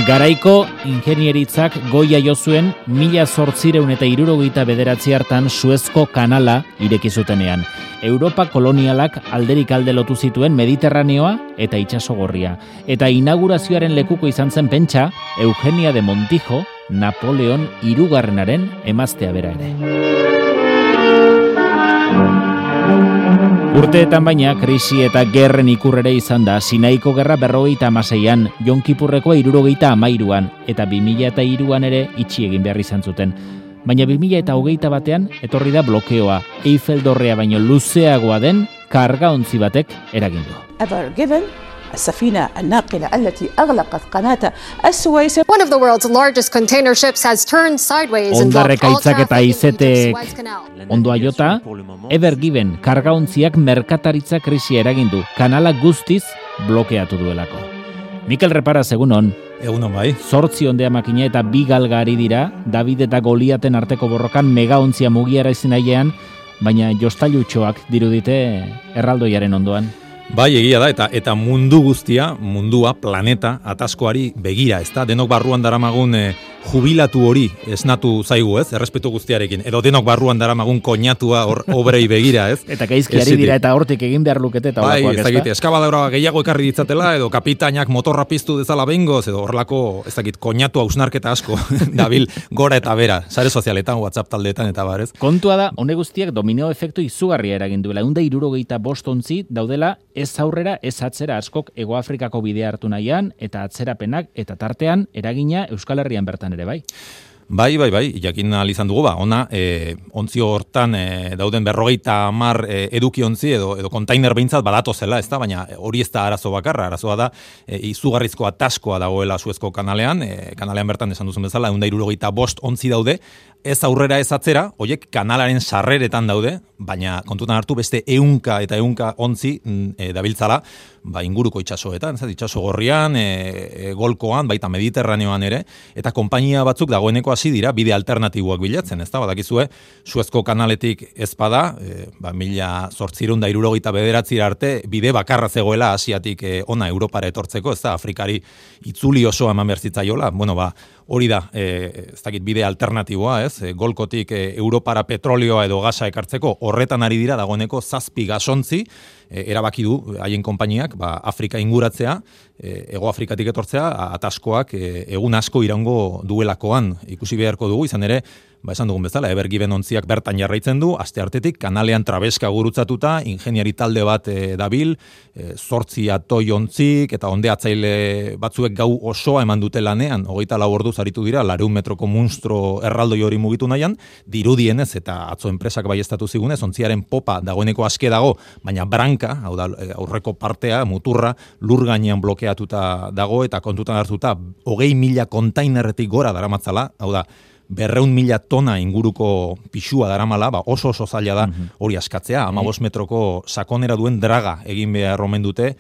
Garaiko ingenieritzak goia jo zuen 1869 hartan Suezko kanala ireki zutenean. Europa kolonialak alderik alde lotu zituen Mediterraneoa eta itsaso gorria. Eta inaugurazioaren lekuko izan zen pentsa Eugenia de Montijo, Napoleon hirugarrenaren emaztea bera ere. Urteetan baina, krisi eta gerren ikurrere izan da, Sinaiko gerra 56an, Jon Kipurrekoa 73an, eta 2003an ere itxi egin behar izan zuten. Baina 2021 etorri da blokeoa, Eiffel dorrea baino luzeagoa den kargaontzi batek eragin du. السفينة الناقلة التي أغلقت قناة السويس. One of the world's largest container ships has turned sideways and blocked all Ondarrekaitzak eta traffic in the izetek Suez Canal. ondoa jota, Ever Given kargaontziak merkataritza krisia eragin du, kanala guztiz blokeatu duelako. Mikel Reparaz, egunon. Egunon bai. 8 ondea makina eta 2 galgari dira, David eta Goliaten arteko borrokan megaontzia mugiara izenaiean, baina jostailutxoak dirudite erraldoiaren ondoan. Bai, egia da, eta mundu guztia, mundua, planeta, ataskoari begira, ezta? Denok barruan daramagun jubilatu hori esnatu zaigu, ez? Errespetu guztiarekin. Edo denok barruan daramagun koñatua obrei begira, ez? Eta gaizkiari dira eta hortik egin behar lukete eta bai, horrekoak, ez dakit, eskabadora gehiago ekarri ditzatela, edo kapitainak motorra piztu dezala behingoz, edo horrelako, ez dakit, koñatu hausnarketa asko, dabil gora eta bera, sare sozialetan, WhatsApp taldeetan eta barez. Kontua da, honek guztiak dominio efektu izugarria eragin duela. 175 ontzi daudela ez aurrera, ez atzera askok Hego Afrikako bidea hartu nahian, eta atzerapenak eta tartean eragina Euskal Herrian bertan ere bai. Bai, jakin ahal izan dugu, ona, ontzio hortan dauden 50 eduki ontzi edo kontainer behintzat badatu zela, ez da, baina hori ez da arazo bakarra, arazoa da izugarrizko ataskoa dagoela Suezko kanalean, kanalean bertan esan duzun bezala, 175 ontzi daude, ez aurrera ez atzera, horiek kanalaren sarreretan daude, baina kontutan hartu beste 100 eta 100 ontzi dabiltzala, inguruko itsasoetan, itsaso gorrian, golkoan, baita Mediterraneoan ere, eta konpainia batzuk dagoeneko hasi dira bide alternatiboak bilatzen, ezta? Badakizue, Suezko kanaletik ez bada, 1879 arte bide bakarra zegoela Asiatik ona Europara etortzeko, ezta? Afrikari itzuli osoa eman behar zitzaiola, hori da, ez dakit bide alternatiboa, ez? Golkotik Europara petrolioa edo gasa ekartzeko, horretan ari dira dagoeneko 7 gasontzi, erabaki du haien konpainiak, Afrika inguratzea, Hego Afrikatik etortzea, ataskoak egun asko iraungo duelakoan ikusi beharko dugu, izan ere, esan dugun bezala, Ever Given ontziak bertan jarraitzen du, asteartetik kanalean trabeska gurutzatuta, ingeniari talde bat dabil, 8 atoi ontzik, eta ondeatzaile batzuek gau osoa eman dute lanean, 24 orduz aritu dira, 200 metroko munstro erraldoi hori mugitu nahian, dirudienez eta atzo enpresak baiestatu zigunez, ontziaren popa dagoeneko aske dago, baina branka, hau da, aurreko partea, muturra, lur gainean blokeatuta dago, eta kontutan hartuta, 20.000 kontainerretik gora daramatzala, hau da, 200.000 tona inguruko pixua daramala, oso zaila da hori askatzea, 15 metroko sakonera duen draga egin behar omen dute,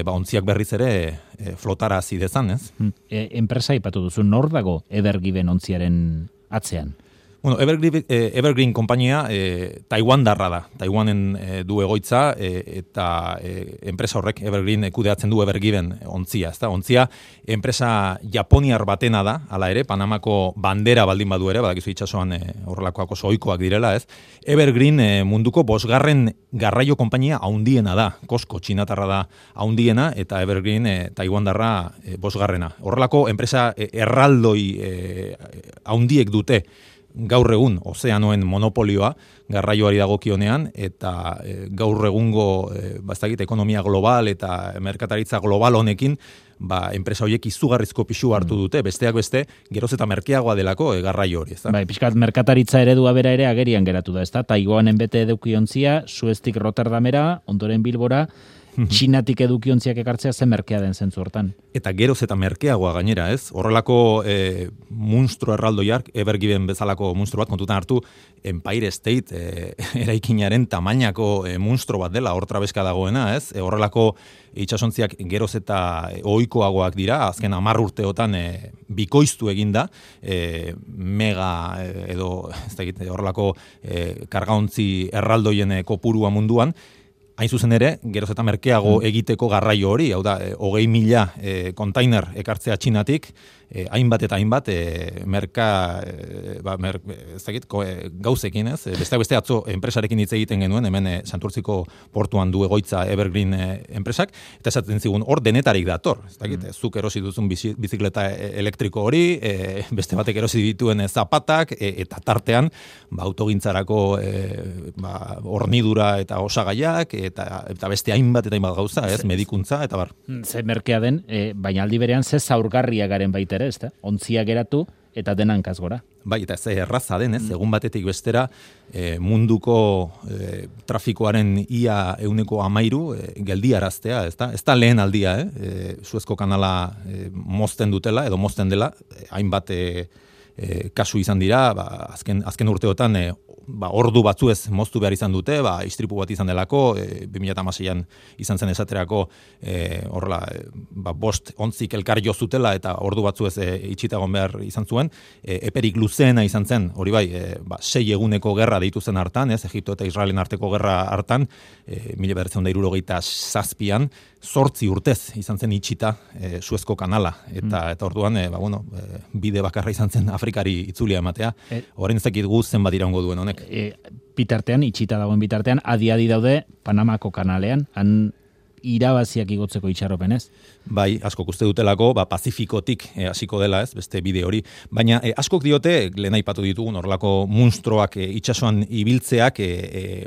ontziak berriz ere flotara hasi dezan, ez? Enpresa ipatu duzu, nor dago Ever Given ontziaren atzean? Bueno, Evergreen konpainia Taiwandarra da. Taiwanen du egoitza eta enpresa horrek Evergreen kudeatzen du Ever Given ontzia, ezta? Ontzia enpresa japoniar batena da, hala ere, Panamako bandera baldin badu ere, badakizu itsasoan horrelakoak oso ohikoak direla, ez? Evergreen munduko 5. garraio konpainia handiena da. Costco txinatarra da handiena eta Evergreen Taiwandarra 5. Horrelako enpresa erraldoi handiek dute gaur egun ozeanoen monopolioa garraioari dagokionean eta gaur egungo ekonomia global eta merkataritza global honekin enpresa horiek izugarrizko pisu hartu dute, besteak beste geroz eta merkeagoa delako garraio hori, ezta? Pixkat merkataritza eredua bera ere agerian geratu da, ezta? Taiwanen bete edukiontzia, Sueztik Rotterdamera, ondoren Bilbora, Txinatik edukiontziak ekartzea zen merkea den zentzu hortan. Eta geroz eta merkeagoa gainera, ez? Horrelako munstro erraldoiak, Ever Given bezalako munstro bat, kontutan hartu, Empire State eraikinaren tamainako munstro bat dela, hor trabeska dagoena, ez? Horrelako itsasontziak geroz eta ohikoagoak dira, azken 10 urteotan bikoiztu eginda, mega edo ez dakit horrelako kargaontzi erraldoien kopurua munduan, hain zuzen ere, geroz eta merkeago egiteko garraio hori, hau da, 20.000 kontainer ekartzea Txinatik, hainbat eta hainbat gauzekin, ez? Beste atzo enpresarekin hitz egiten genuen, hemen Santurtziko portuan du egoitza Evergreen enpresak, eta esaten zigun hor denetarik dator, ez dakit, zuk erosi duzun bizikleta elektriko hori, beste batek erosi dituen zapatak, eta tartean, autogintzarako hornidura eta osagaiak, eta beste hainbat eta hainbat gauza, ez, medikuntza, eta bar. Ze merkea den, baina aldi berean ze zaurgarria garen baita ere, ezta? Ontzia geratu eta dena hankaz gora. Bai, eta ez erraza den, ez, egun batetik bestera munduko trafikoaren ia 13% geldiaraztea, ez da lehen aldia, Suezko kanala mozten dutela, edo mozten dela, hainbat kasu izan dira, azken urteotan ordu batzuez moztu behar izan dute, istripu bat izan delako, 2016an izan zen esaterako horrela, 5 ontzik elkar jo zutela eta ordu batzuez itxitagon behar izan zuen, eperik luzeena izan zen, hori bai, 6 eguneko gerra deitu zen hartan, Egipto eta Israelen arteko gerra hartan, 1967an, 8 urtez izan zen itxita Suezko kanala, eta orduan, bide bakarra izan zen Afrikari itzulia ematea, orain ez dakit gu zenbat iraungo duen honek. Bitartean, itxita dagoen bitartean, adi daude Panamako kanalean, han irabaziak igotzeko itxaropenez. Bai, askok uste dutelako, Pazifikotik hasiko dela, ez, beste bide hori. Baina askok diote, lehen aipatu ditugun, horrelako munstroak itsasoan ibiltzeak,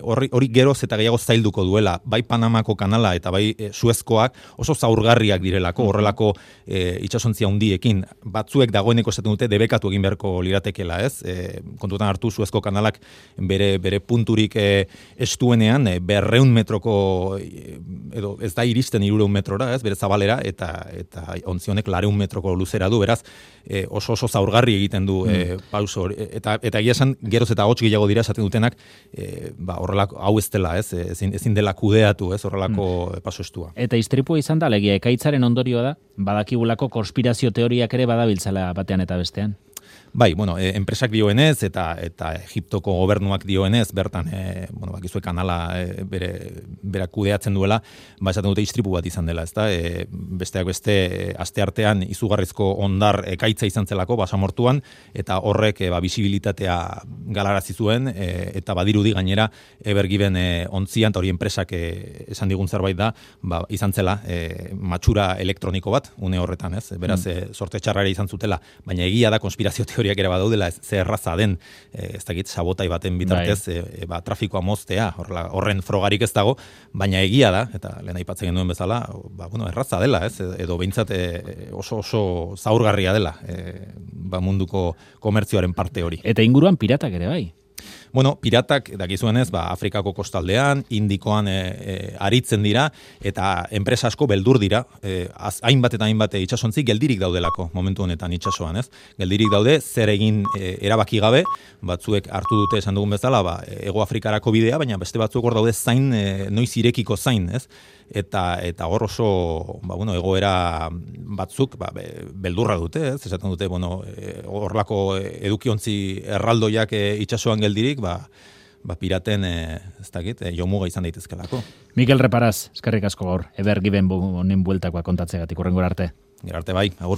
hori geroz eta gehiago zailduko duela. Bai Panamako kanala eta bai Suezkoak oso zaurgarriak direlako, horrelako itsasontzia handiekin. Batzuek dagoeneko esaten dute debekatu egin beharko liratekela, ez? Kontutan hartu Suezko kanalak bere punturik estuenean 200 metroko, edo ez da iristen 300 metrora, ez, bere zabalera, eta ontzionek 400 metroko luzera du, beraz, oso zaurgarri egiten du pauso hori, eta egia esan, geroz eta hots gehiago dira esaten dutenak, horrelako, hau ez dela, ez, ezin dela kudeatu, ez, horrelako paso estua. Eta istripua izan da, legia, ekaitzaren ondorioa da, badakigulako konspirazio teoriak ere badabiltzala batean eta bestean. Bai, enpresak dioenez eta Egiptoko gobernuak dioenez, bertan, bakizue kanala bera kudeatzen duela, esaten dute istripu bat izan dela, ezta? Besteak beste, asteartean izugarrizko ondar ekaitza izan zelako, basamortuan, eta horrek bisibilitatea galarazi zuen, eta badirudi gainera, Evergiven ontzian, eta hori enpresak esan digun zerbait da, izan zela matxura elektroniko bat, une horretan, ez? Beraz, sorte txarrare izan zutela, baina egia da konspirazio teoriak ere badaudela, ze erraza den, ez dakit, sabotai baten bitartez, trafikoa moztea, horren frogarik ez dago, baina egia da, eta lehen aipatzen genuen bezala, erraza dela, ez, edo behintzat oso zaurgarria dela, munduko komertzioaren parte hori. Eta inguruan piratak ere bai. Piratak, dakizuenez, Afrikako kostaldean, Indikoan aritzen dira, eta enpresa asko beldur dira, hainbat eta hainbat itsasontzi geldirik daudelako, momentu honetan itsasoan, ez? Geldirik daude, zer egin erabaki gabe, batzuek hartu dute esan dugun bezala, Hego Afrikarako bidea, baina beste batzuek hor daude zain, noiz irekiko zain, ez? Eta hor oso, egoera batzuk, beldurra dute, ez? Esaten dute, horrelako edukiontzi erraldoiak itsasoan geldirik, piraten, ez dakit, jomuga izan daitezkelako. Mikel Reparaz, eskerrik asko gaur, Evergiven honen bueltakoa kontatzegatik, hurrengora arte. Gero arte bai, agur.